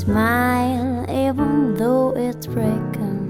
smile even though it's breaking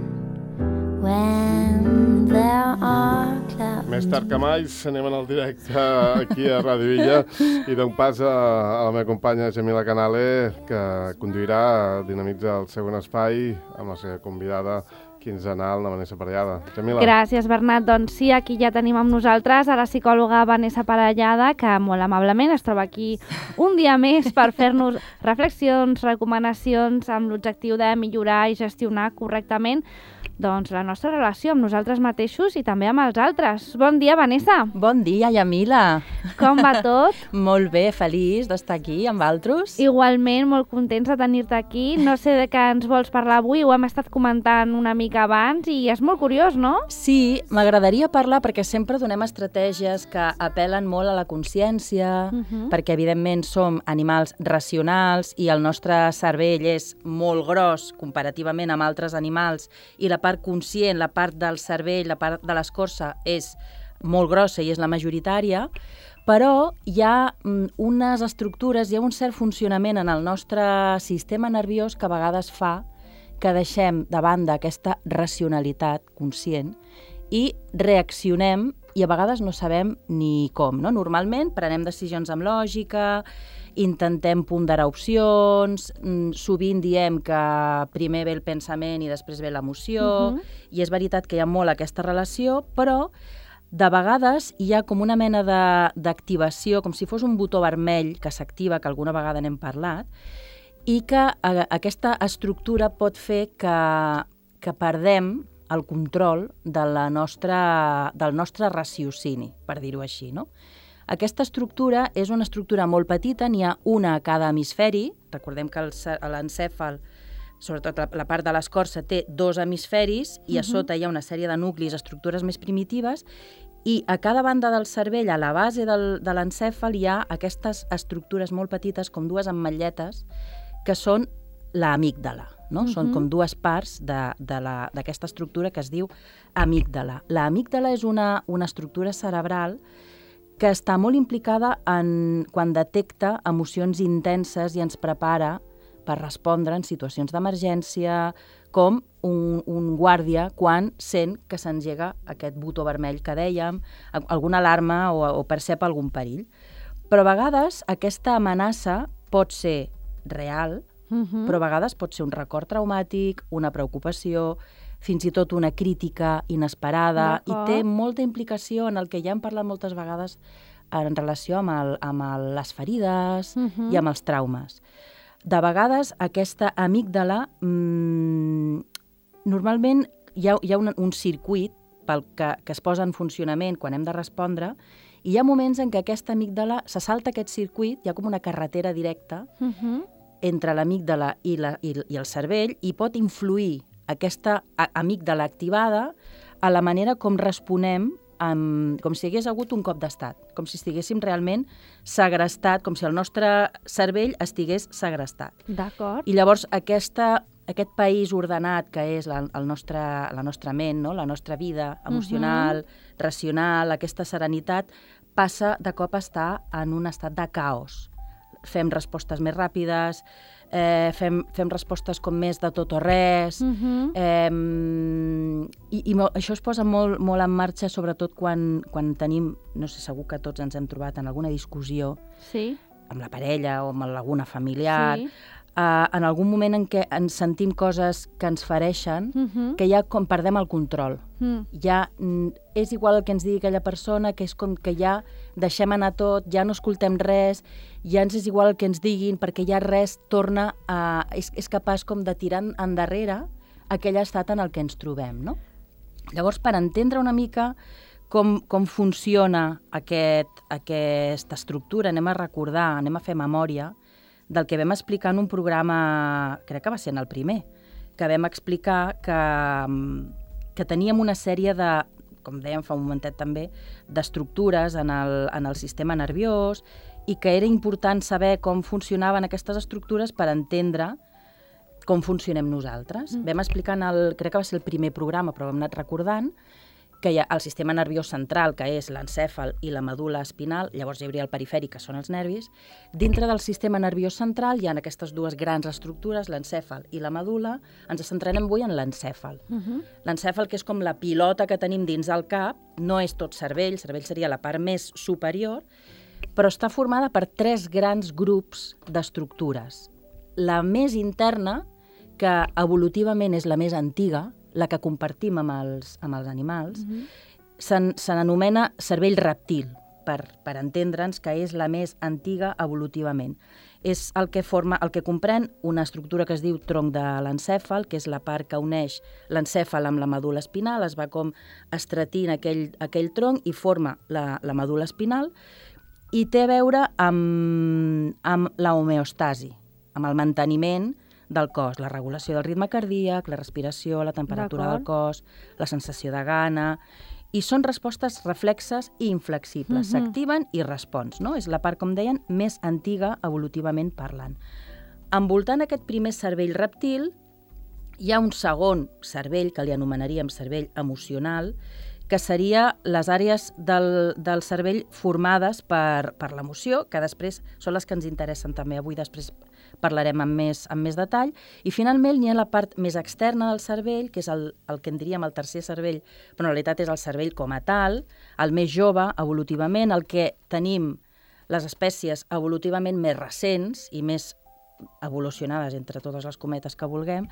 when there are clouds. Més tard que mai anem en el directe aquí a Ràdio Illa i dono pas a la meva companya Jamila Canale, que conduirà Dinamitza el següent espai amb la seva convidada quinzenal, la Vanessa Parellada. Jamila. Gràcies, Bernat. Doncs sí, aquí ja tenim amb nosaltres a la psicòloga Vanessa Parellada, que molt amablement es troba aquí un dia més per fer-nos reflexions, recomanacions amb l'objectiu de millorar i gestionar correctament doncs la nostra relació amb nosaltres mateixos i també amb els altres. Bon dia, Vanessa. Bon dia, Yamila. Com va tot? Molt bé, feliç d'estar aquí amb altres. Igualment, molt contents de tenir-te aquí. No sé de què ens vols parlar avui, ho hem estat comentant una mica abans i és molt curiós, no? Sí, m'agradaria parlar perquè sempre donem estratègies que apel·len molt a la consciència, perquè evidentment som animals racionals i el nostre cervell és molt gros comparativament amb altres animals i la part conscient, la part del cervell, la part de l'escorça és molt grossa i és la majoritària, però hi ha unes estructures, hi ha un cert funcionament en el nostre sistema nerviós que a vegades fa que deixem de banda aquesta racionalitat conscient i reaccionem i a vegades no sabem ni com, no? Normalment prenem decisions amb lògica, intentem ponderar opcions, sovint diem que primer ve el pensament i després ve l'emoció, i és veritat que hi ha molt aquesta relació, però de vegades hi ha com una mena d'activació, com si fos un botó vermell que s'activa, que alguna vegada n'hem parlat, i que aquesta estructura pot fer que perdem el control del nostre raciocini, per dir-ho així, no? Aquesta estructura és una estructura molt petita, n'hi ha una a cada hemisferi. Recordem que l'encèfal, sobretot la part de l'escorça, té 2 hemisferis i a sota hi ha una sèrie de nuclis, estructures més primitives, i a cada banda del cervell, a la base de l'encèfal, hi ha aquestes estructures molt petites, com 2 ametlletes, que són l'amígdala. No? Són com 2 parts d'aquesta estructura que es diu amígdala. L'amígdala és una estructura cerebral que està molt implicada quan detecta emocions intenses i ens prepara per respondre en situacions d'emergència, com un guàrdia quan sent que s'engega aquest botó vermell que dèiem, alguna alarma o percep algun perill. Però a vegades aquesta amenaça pot ser real, però a vegades pot ser un record traumàtic, una preocupació, fins i tot una crítica inesperada, i té molta implicació en el que ja hem parlat moltes vegades en relació amb les ferides i amb els traumes. De vegades aquesta amígdala, normalment hi ha un circuit que es posa en funcionament quan hem de respondre, i hi ha moments en què aquesta amígdala se salta aquest circuit, hi ha com una carretera directa entre l'amígdala i el cervell, i pot influir aquesta amígdala activada a la manera com responem, com si hi hagués hagut un cop d'estat, com si estiguéssim realment segrestat, com si el nostre cervell estigués segrestat. D'acord. I llavors aquest país ordenat que és la nostra ment, no? La nostra vida emocional, racional, aquesta serenitat, passa de cop a estar en un estat de caos. Fem respostes més ràpides, fem respostes com més de tot o res, i això es posa molt en marxa, sobretot quan tenim, no sé, segur que tots ens hem trobat en alguna discussió amb la parella o amb alguna familiar, en algun moment en què ens sentim coses que ens fereixen, que ja com perdem el control. Ja és igual el que ens digui aquella persona, que és com que ja deixem anar tot, ja no escoltem res, ja ens és igual el que ens diguin, perquè ja res torna a... és capaç com de tirar endarrere aquell estat en el que ens trobem, no? Llavors, per entendre una mica com funciona aquesta estructura, anem a recordar, anem a fer memòria del que vam explicar en un programa, crec que va ser en el primer, que vam explicar que teníem una sèrie de, com dèiem fa un momentet també, d'estructures en el sistema nerviós, i que era important saber com funcionaven aquestes estructures per entendre com funcionem nosaltres. Vam explicar crec que va ser el primer programa, però hem anat recordant, que hi ha el sistema nerviós central, que és l'encèfal i la medul·la espinal, llavors hi hauria el perifèric, que són els nervis. Dintre del sistema nerviós central hi ha aquestes dues grans estructures, l'encèfal i la medul·la. Ens centrarem avui en l'encèfal. L'encèfal, que és com la pilota que tenim dins del cap, no és tot cervell seria la part més superior, però està formada per 3 grans grups d'estructures. La més interna, que evolutivament és la més antiga, la que compartim amb els animals, se n'anomena cervell reptil, per entendre'ns que és la més antiga evolutivament. És el que comprèn una estructura que es diu tronc de l'encèfal, que és la part que uneix l'encèfal amb la medul·la espinal, es va com estretint aquell tronc i forma la medul·la espinal, i té a veure amb la homeostasi, amb el manteniment del cos, la regulació del ritme cardíac, la respiració, la temperatura del cos, la sensació de gana, i són respostes reflexes i inflexibles, s'activen i respons, no? És la part, com deien, més antiga evolutivament parlant. Envoltant aquest primer cervell reptil, hi ha un segon cervell, que li anomenaríem cervell emocional, que seria les àrees del cervell formades per l'emoció, que després són les que ens interessen també avui, després parlarem amb més detall, i finalment hi ha la part més externa del cervell, que és el que en diríem el tercer cervell, però en realitat és el cervell com a tal, el més jove evolutivament, el que tenim les espècies evolutivament més recents i més evolucionades entre totes les cometes que vulguem,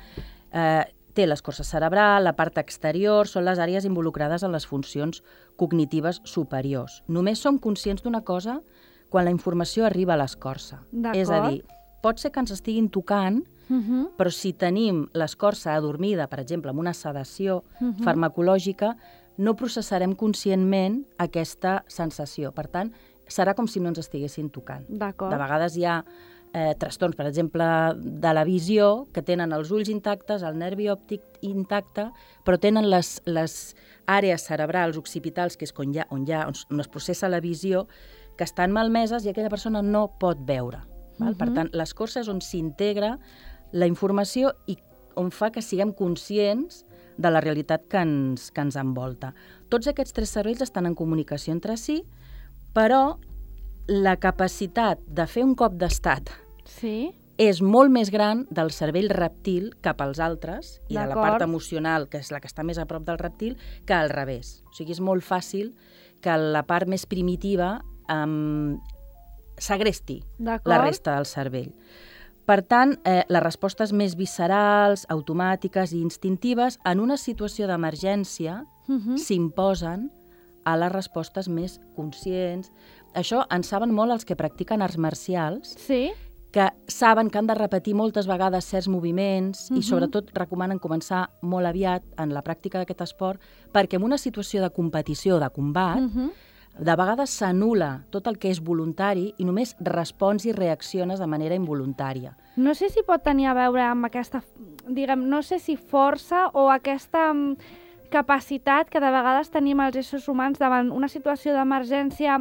té l'escorça cerebral, la part exterior, són les àrees involucrades en les funcions cognitives superiors. Només som conscients d'una cosa quan la informació arriba a l'escorça. És a dir, pot ser que ens estiguin tocant, però si tenim l'escorça adormida, per exemple, amb una sedació farmacològica, no processarem conscientment aquesta sensació. Per tant, serà com si no ens estiguessin tocant. De vegades hi ha trastorns, per exemple, de la visió, que tenen els ulls intactes, el nervi òptic intacte, però tenen les àrees cerebrals occipitals, que és on es processa la visió, que estan malmeses i aquella persona no pot veure. Per tant, l'escorça és on s'integra la informació i on fa que siguem conscients de la realitat que ens envolta. Tots aquests 3 cervells estan en comunicació entre si, però la capacitat de fer un cop d'estat és molt més gran del cervell reptil cap als altres i de la part emocional, que és la que està més a prop del reptil, que al revés. O sigui, és molt fàcil que la part més primitiva segresti la resta del cervell. Per tant, les respostes més viscerals, automàtiques i instintives, en una situació d'emergència, s'imposen a les respostes més conscients. Això en saben molt els que practiquen arts marcials, que saben que han de repetir moltes vegades certs moviments i sobretot recomanen començar molt aviat en la pràctica d'aquest esport, perquè en una situació de competició o de combat, de vegades s'anul·la tot el que és voluntari i només respons i reacciones de manera involuntària. No sé si pot tenir a veure amb aquesta, no sé si força o aquesta capacitat que de vegades tenim els éssers humans davant una situació d'emergència,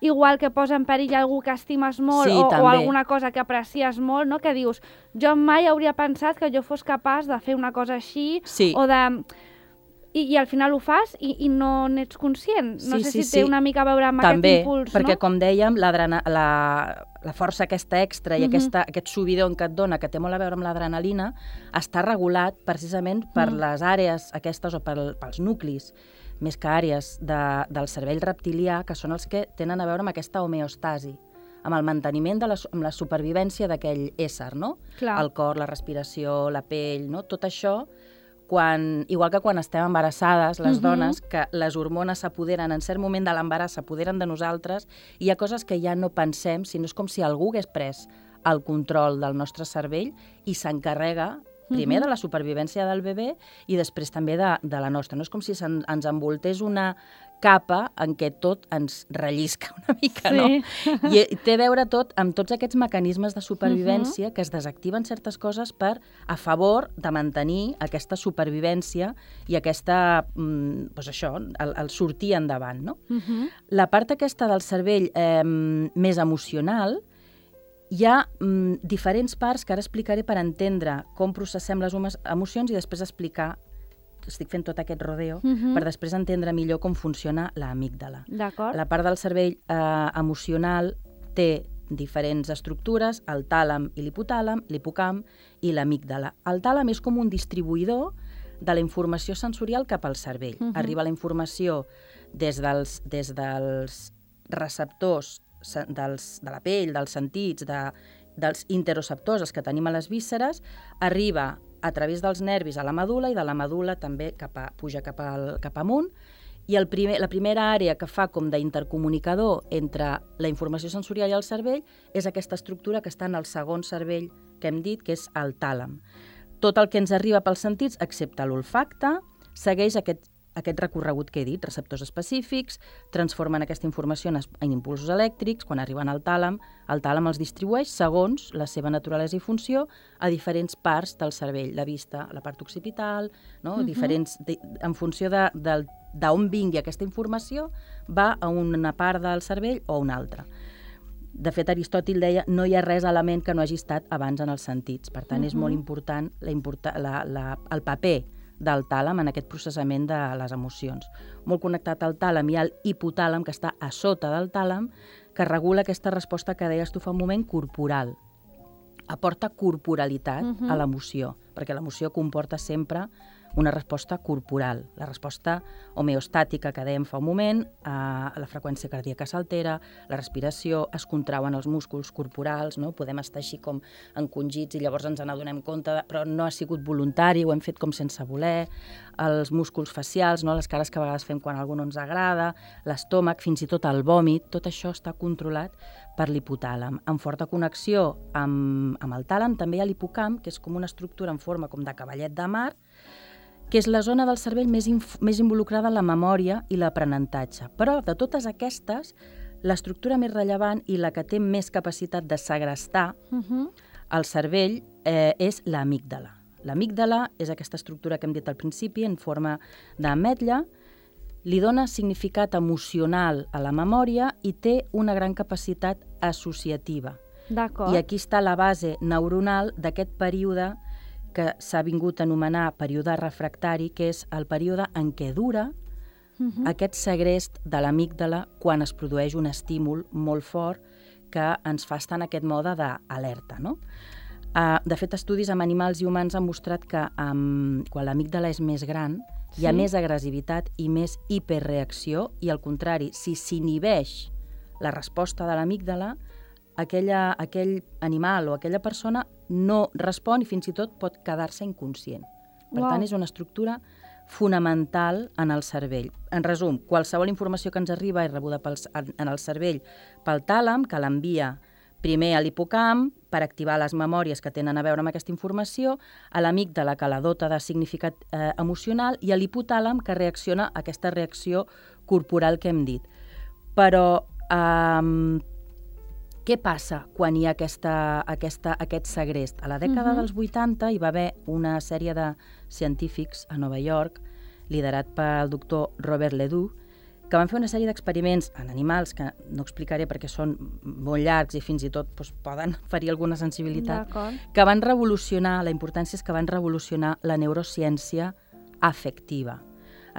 igual que posa en perill algú que estimes molt o alguna cosa que aprecies molt, no? Que dius, jo mai hauria pensat que jo fos capaç de fer una cosa així o de... I al final ho fas i no n'ets conscient. No sé si té una mica a veure amb aquest impuls, no? Perquè, com dèiem, la força aquesta extra i aquest subidon que et dona, que té molt a veure amb l'adrenalina, està regulat precisament per les àrees aquestes o pels nuclis, més que àrees del cervell reptilià, que són els que tenen a veure amb aquesta homeostasi, amb el manteniment, amb la supervivència d'aquell ésser, no? El cor, la respiració, la pell, no? Tot això... igual que quan estem embarassades, les dones, que les hormones s'apoderen, en cert moment de l'embaràs s'apoderen de nosaltres, i hi ha coses que ja no pensem, sinó és com si algú hagués pres el control del nostre cervell i s'encarrega primer de la supervivència del bebè i després també de la nostra. No és com si ens envoltés una capa en què tot ens rellisca una mica, no? I té a veure tot amb tots aquests mecanismes de supervivència que es desactiven certes coses a favor de mantenir aquesta supervivència i aquesta, el sortir endavant, no? La part aquesta del cervell més emocional, hi ha diferents parts que ara explicaré per entendre com processem les emocions i després explicar estic fent tot aquest rodeo per després entendre millor com funciona l'amígdala. D'acord. La part del cervell emocional té diferents estructures, el tàlam i l'hipotàlam, l'hipocamp i l'amígdala. El tàlam és com un distribuïdor de la informació sensorial cap al cervell. Arriba la informació des dels receptors de la pell, dels sentits, dels interoceptors, els que tenim a les vísceres, arriba a través dels nervis a la medul·la i de la medul·la també puja cap amunt. I la primera àrea que fa com d'intercomunicador entre la informació sensorial i el cervell és aquesta estructura que està en el segon cervell que hem dit, que és el tàlam. Tot el que ens arriba pels sentits, excepte l'olfacte, segueix aquest recorregut que he dit, receptors específics, transformen aquesta informació en impulsos elèctrics, quan arriben al tàlam els distribueix segons la seva naturalesa i funció a diferents parts del cervell, la vista, la part occipital, no? Diferents, en funció d'on vingui aquesta informació, va a una part del cervell o a una altra. De fet, Aristòtil deia no hi ha res element que no hagi estat abans en els sentits. Per tant, és molt important el paper del tàlam en aquest processament de les emocions. Molt connectat al tàlam i al hipotàlam, que està a sota del tàlam, que regula aquesta resposta que deies tu fa un moment, corporal. Aporta corporalitat a l'emoció, perquè l'emoció comporta sempre una resposta corporal. La resposta homeostàtica que dèiem fa un moment, la freqüència cardíaca s'altera, la respiració, es contrauen els músculs corporals, no? Podem estar així com encongits i llavors ens n'adonem compte, però no ha sigut voluntari, ho hem fet com sense voler, els músculs facials, no? Les cares que a vegades fem quan a algú no ens agrada, l'estómac, fins i tot el vòmit, tot això està controlat per l'hipotàlam. En forta connexió amb el tàlam també hi ha l'hipocamp, que és com una estructura en forma com de cavallet de mar, que és la zona del cervell més involucrada en la memòria i l'aprenentatge. Però de totes aquestes, l'estructura més rellevant i la que té més capacitat de segrestar el cervell és l'amígdala. L'amígdala és aquesta estructura que hem dit al principi, en forma d'ametlla, li dona significat emocional a la memòria i té una gran capacitat associativa. D'acord. I aquí està la base neuronal d'aquest període que s'ha vingut a anomenar període refractari, que és el període en què dura aquest segrest de l'amígdala quan es produeix un estímul molt fort que ens fa estar en aquest mode d'alerta, no? De fet, estudis amb animals i humans han mostrat que quan l'amígdala és més gran hi ha més agressivitat i més hiperreacció i, al contrari, si s'inhibeix la resposta de l'amígdala, aquell animal o aquella persona no respon i fins i tot pot quedar-se inconscient. Per tant, és una estructura fonamental en el cervell. En resum, qualsevol informació que ens arriba és rebuda en el cervell pel tàlam, que l'envia primer a l'hipocamp per activar les memòries que tenen a veure amb aquesta informació, a l'amígdala, que la dota de significat emocional, i a l'hipotàlam, que reacciona a aquesta reacció corporal que hem dit. Però què passa quan hi ha aquest segrest? A la dècada dels 80 hi va haver una sèrie de científics a Nova York, liderat pel doctor Robert Ledoux, que van fer una sèrie d'experiments en animals, que no explicaré perquè són molt llargs i fins i tot poden ferir alguna sensibilitat, que van revolucionar, la importància és que van revolucionar la neurociència afectiva.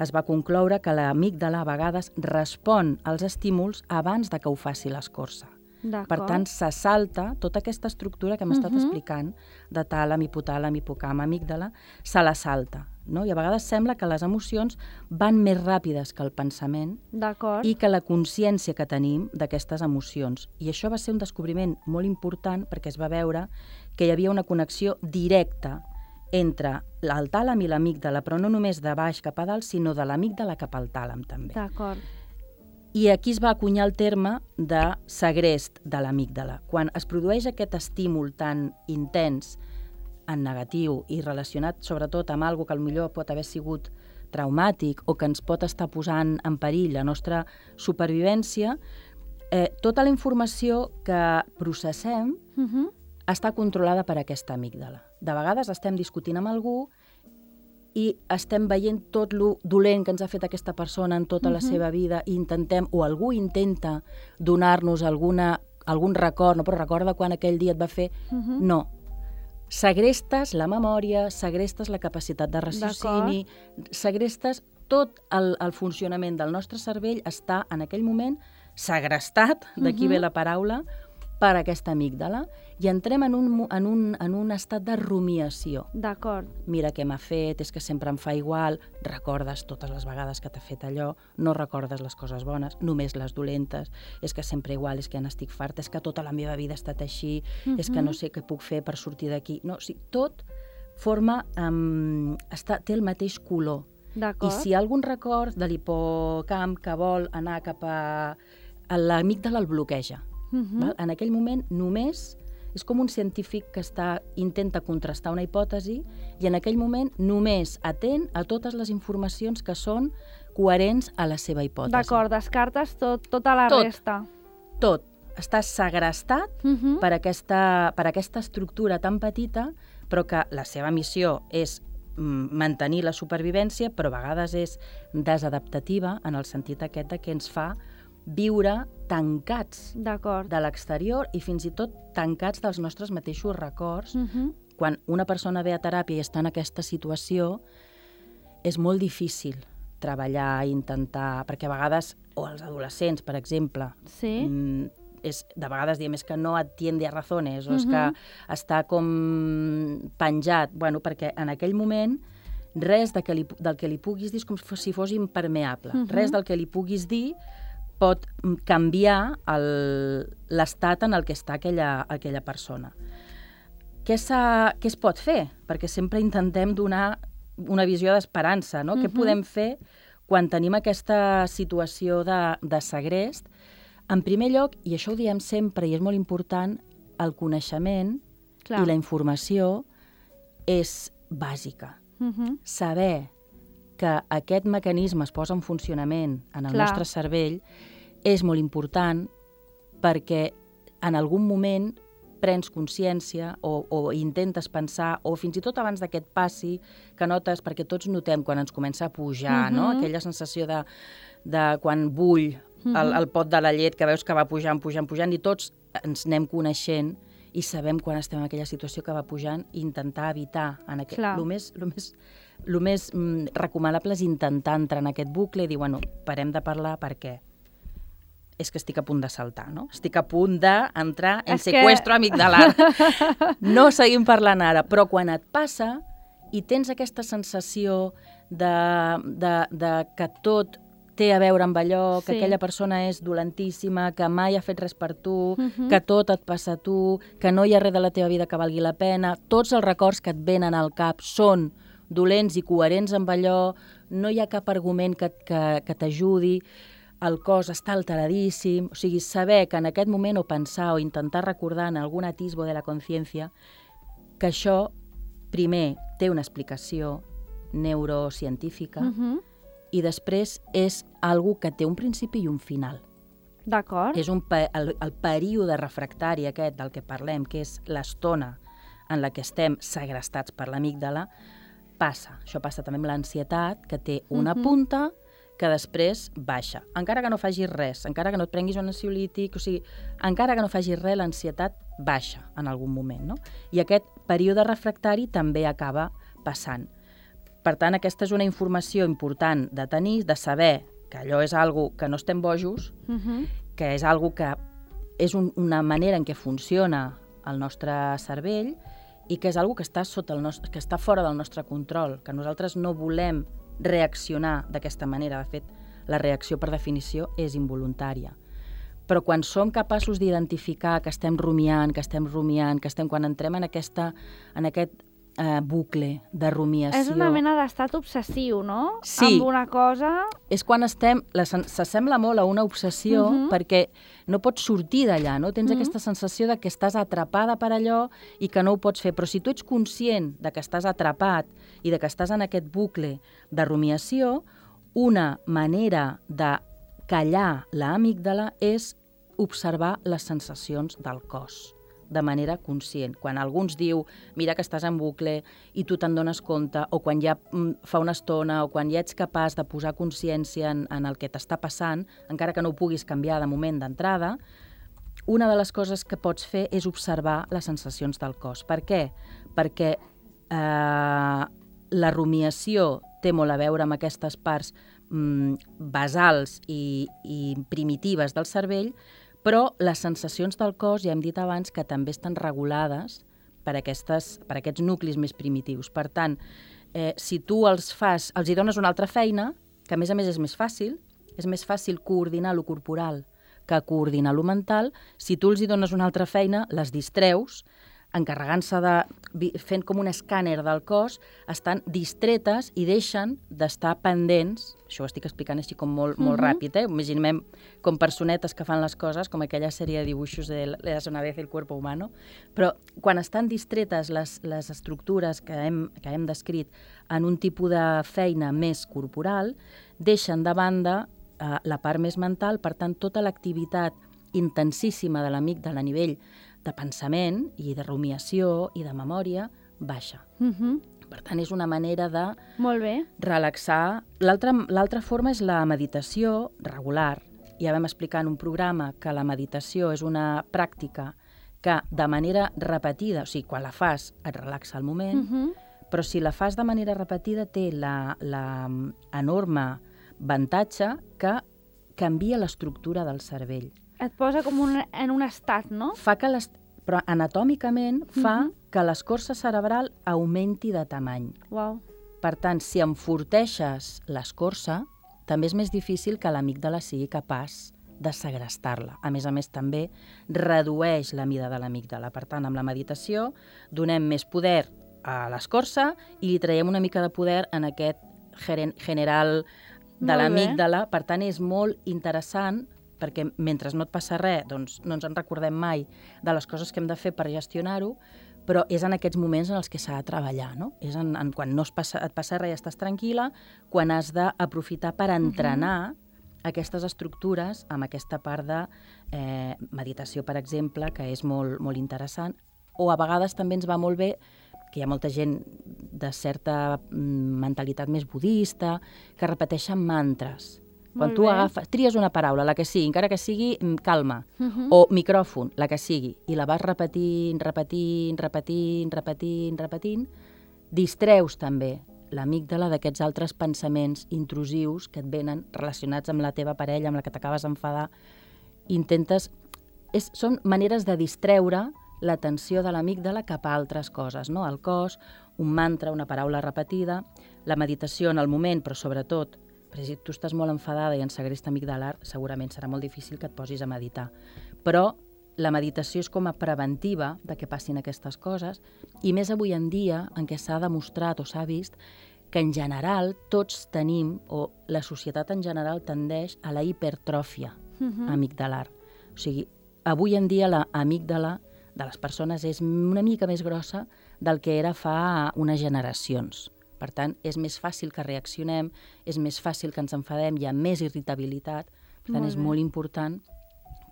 Es va concloure que l'amígdala a vegades respon als estímuls abans de que ho faci l'escorça. Per tant, se salta tota aquesta estructura que hem estat explicant, de tàlam, hipotàlam, hipocamp, amígdala, se la salta. No? I a vegades sembla que les emocions van més ràpides que el pensament i que la consciència que tenim d'aquestes emocions. I això va ser un descobriment molt important perquè es va veure que hi havia una connexió directa entre el tàlam i l'amígdala, però no només de baix cap a dalt, sinó de l'amígdala cap al tàlam també. I aquí es va acunyar el terme de segrest de l'amígdala. Quan es produeix aquest estímul tan intens en negatiu i relacionat sobretot amb alguna que potser pot haver sigut traumàtic o que ens pot estar posant en perill la nostra supervivència, tota la informació que processem està controlada per aquesta amígdala. De vegades estem discutint amb algú i estem veient tot lo dolent que ens ha fet aquesta persona en tota la seva vida i intentem, o algú intenta donar-nos algun record, no, però recorda quan aquell dia et va fer... No. segrestes la memòria, segrestes la capacitat de raciocini, segrestes tot el funcionament del nostre cervell està en aquell moment segrestat, d'aquí ve la paraula, per aquesta amígdala, i entrem en un estat de rumiació. D'acord. Mira què m'ha fet, és que sempre em fa igual, recordes totes les vegades que t'ha fet allò, no recordes les coses bones, només les dolentes, és que sempre igual, és que ja n'estic farta, és que tota la meva vida ha estat així, és que no sé què puc fer per sortir d'aquí. No, o sigui, tot forma, té el mateix color. I si hi ha algun record de l'hipocamp que vol anar cap a l'amígdala el bloqueja. En aquell moment només és com un científic que intenta contrastar una hipòtesi i en aquell moment només atén a totes les informacions que són coherents a la seva hipòtesi. D'acord, descartes tota la resta. Tot. Està segrestat per aquesta estructura tan petita, però que la seva missió és mantenir la supervivència, però a vegades és desadaptativa en el sentit aquest que ens fa viure tancats de l'exterior i fins i tot tancats dels nostres mateixos records. Quan una persona ve a teràpia i està en aquesta situació, és molt difícil treballar, intentar... Perquè a vegades, o els adolescents, per exemple, de vegades diem és que no atiende a razones, o és que està com penjat, perquè en aquell moment res del que li puguis dir és com si fos impermeable. Res del que li puguis dir pot canviar l'estat en el que està aquella persona. Què es pot fer? Perquè sempre intentem donar una visió d'esperança, no? Què podem fer quan tenim aquesta situació de segrest? En primer lloc, i això ho diem sempre i és molt important, el coneixement i la informació és bàsica. Saber que aquest mecanisme es posa en funcionament en el nostre cervell és molt important perquè en algun moment prens consciència o intentes pensar, o fins i tot abans d'aquest passi que notes, perquè tots notem quan ens comença a pujar, no? Aquella sensació de quan bull el pot de la llet, que veus que va pujant, i tots ens anem coneixent i sabem quan estem en aquella situació que va pujant i intentar evitar. El més recomanable és intentar entrar en aquest bucle i dir, parem de parlar perquè és que estic a punt de saltar, no? Estic a punt d'entrar en seqüestro amigdalar. No seguim parlant ara, però quan et passa i tens aquesta sensació de que tot té a veure amb allò, que aquella persona és dolentíssima, que mai ha fet res per tu, que tot et passa a tu, que no hi ha res de la teva vida que valgui la pena, tots els records que et venen al cap són dolents i coherents amb allò, no hi ha cap argument que t'ajudi, el cos està alteradíssim, o sigui, saber que en aquest moment o pensar o intentar recordar en algun atisbo de la consciència que això, primer, té una explicació neurocientífica i després és algo que té un principi i un final. D'acord. És el període refractari aquest del que parlem, que és l'estona en la que estem segrestats per l'amígdala, passa. Això passa també amb l'ansietat, que té una punta que després baixa. Encara que no facis res, encara que no et prenguis un ansiolític, o sigui, encara que no facis res, l'ansietat baixa en algun moment, no? I aquest període refractari també acaba passant. Per tant, aquesta és una informació important de tenir, de saber que allò és algo que no estem bojos, que és algo que és una manera en què funciona el nostre cervell i que és algo que està que està fora del nostre control, que nosaltres no volem reaccionar d'aquesta manera. De fet, la reacció, per definició, és involuntària. Però quan som capaços d'identificar que estem rumiant, quan entrem en aquest bucle de rumiació... És una mena d'estat obsessiu, no? Sí. Amb una cosa... És quan s'assembla molt a una obsessió perquè no pots sortir d'allà, no? Tens aquesta sensació de que estàs atrapada per allò i que no ho pots fer. Però si tu ets conscient de que estàs atrapat i de que estàs en aquest bucle de rumiació, una manera de callar l'amígdala és observar les sensacions del cos de manera conscient. Quan algú ens diu, mira que estàs en bucle i tu te'n dones compte, o quan ja fa una estona, o quan ja ets capaç de posar consciència en el que t'està passant, encara que no ho puguis canviar de moment d'entrada, una de les coses que pots fer és observar les sensacions del cos. Per què? perquè la rumiació té molt a veure amb aquestes parts basals i primitives del cervell, però les sensacions del cos, ja hem dit abans, que també estan regulades per aquests nuclis més primitius. Per tant, si tu els hi dones una altra feina, que a més és més fàcil coordinar lo corporal que coordinar lo mental, si tu els hi dones una altra feina, les distreus, encarregant-se fent com un escàner del cos, estan distretes i deixen d'estar pendents, això ho estic explicant així com molt ràpid, imaginem com personetes que fan les coses, com aquella sèrie de dibuixos de «Eras una vez el cuerpo humano», però quan estan distretes les estructures que hem descrit en un tipus de feina més corporal, deixen de banda la part més mental, per tant, tota l'activitat intensíssima de l'amígdala a nivell de pensament i de rumiació i de memòria baixa. Per tant, és una manera de relaxar. L'altra forma és la meditació regular. Ja vam explicar en un programa que la meditació és una pràctica que de manera repetida, o sigui, quan la fas et relaxa al moment, però si la fas de manera repetida té l'enorme avantatge que canvia l'estructura del cervell. Et posa com en un estat, no? Però anatòmicament fa que l'escorça cerebral augmenti de tamany. Uau. Per tant, si enforteixes l'escorça, també és més difícil que l'amígdala sigui capaç de segrestar-la. A més, també redueix la mida de l'amígdala. Per tant, amb la meditació donem més poder a l'escorça i li traiem una mica de poder en aquest general de l'amígdala. Per tant, és molt interessant perquè mentre no et passa res, doncs no ens en recordem mai de les coses que hem de fer per gestionar-ho, però és en aquests moments en els que s'ha de treballar, no? És quan no et passa res i estàs tranquil·la, quan has d'aprofitar per entrenar aquestes estructures amb aquesta part de meditació, per exemple, que és molt, molt interessant, o a vegades també ens va molt bé que hi ha molta gent de certa mentalitat més budista que repeteixen mantres. Quan tu tries una paraula, la que sigui, encara que sigui calma, o micròfon, la que sigui, i la vas repetint, distreus també l'amígdala d'aquests altres pensaments intrusius que et venen relacionats amb la teva parella, amb la que t'acabes d'enfadar. Són maneres de distreure l'atenció de l'amígdala cap a altres coses, no? El cos, un mantra, una paraula repetida, la meditació en el moment, però sobretot, perquè si tu estàs molt enfadada i en segresta amigdalar, segurament serà molt difícil que et posis a meditar. Però la meditació és com a preventiva de que passin aquestes coses, i més avui en dia en què s'ha demostrat o s'ha vist que en general tots tenim, o la societat en general tendeix a la hipertròfia amigdalar. O sigui, avui en dia la amígdala de les persones és una mica més grossa del que era fa unes generacions. Per tant, és més fàcil que reaccionem, és més fàcil que ens enfadem, hi ha més irritabilitat. Per tant, és molt important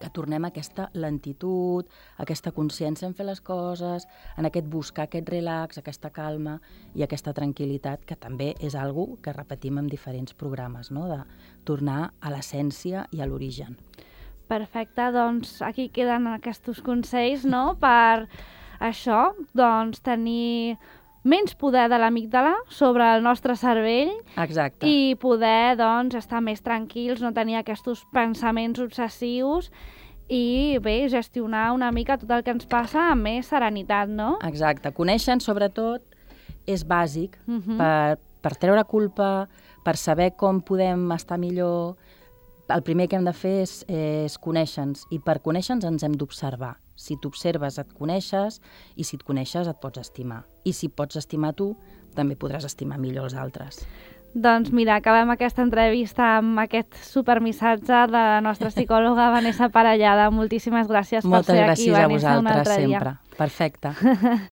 que tornem a aquesta lentitud, aquesta consciència en fer les coses, en aquest buscar aquest relax, aquesta calma i aquesta tranquil·litat, que també és algo que repetim en diferents programes, no? De tornar a l'essència i a l'origen. Perfecte, doncs aquí queden aquests consells, no?, per això, doncs tenir menys poder de l'amígdala sobre el nostre cervell. Exacte. I poder, doncs, estar més tranquils, no tenir aquests pensaments obsessius i, bé, gestionar una mica tot el que ens passa amb més serenitat, no? Exacte. Conèixer, sobretot, és bàsic per treure culpa, per saber com podem estar millor. El primer que hem de fer és conèixer-nos, i per conèixer-nos ens hem d'observar. Si t'observes et coneixes, i si et coneixes et pots estimar. I si pots estimar tu, també podràs estimar millor els altres. Doncs mira, acabem aquesta entrevista amb aquest supermissatge de la nostra psicòloga Vanessa Parellada. Moltíssimes gràcies per ser aquí, Vanessa, un altre dia. Moltes gràcies a vosaltres, sempre. Perfecte.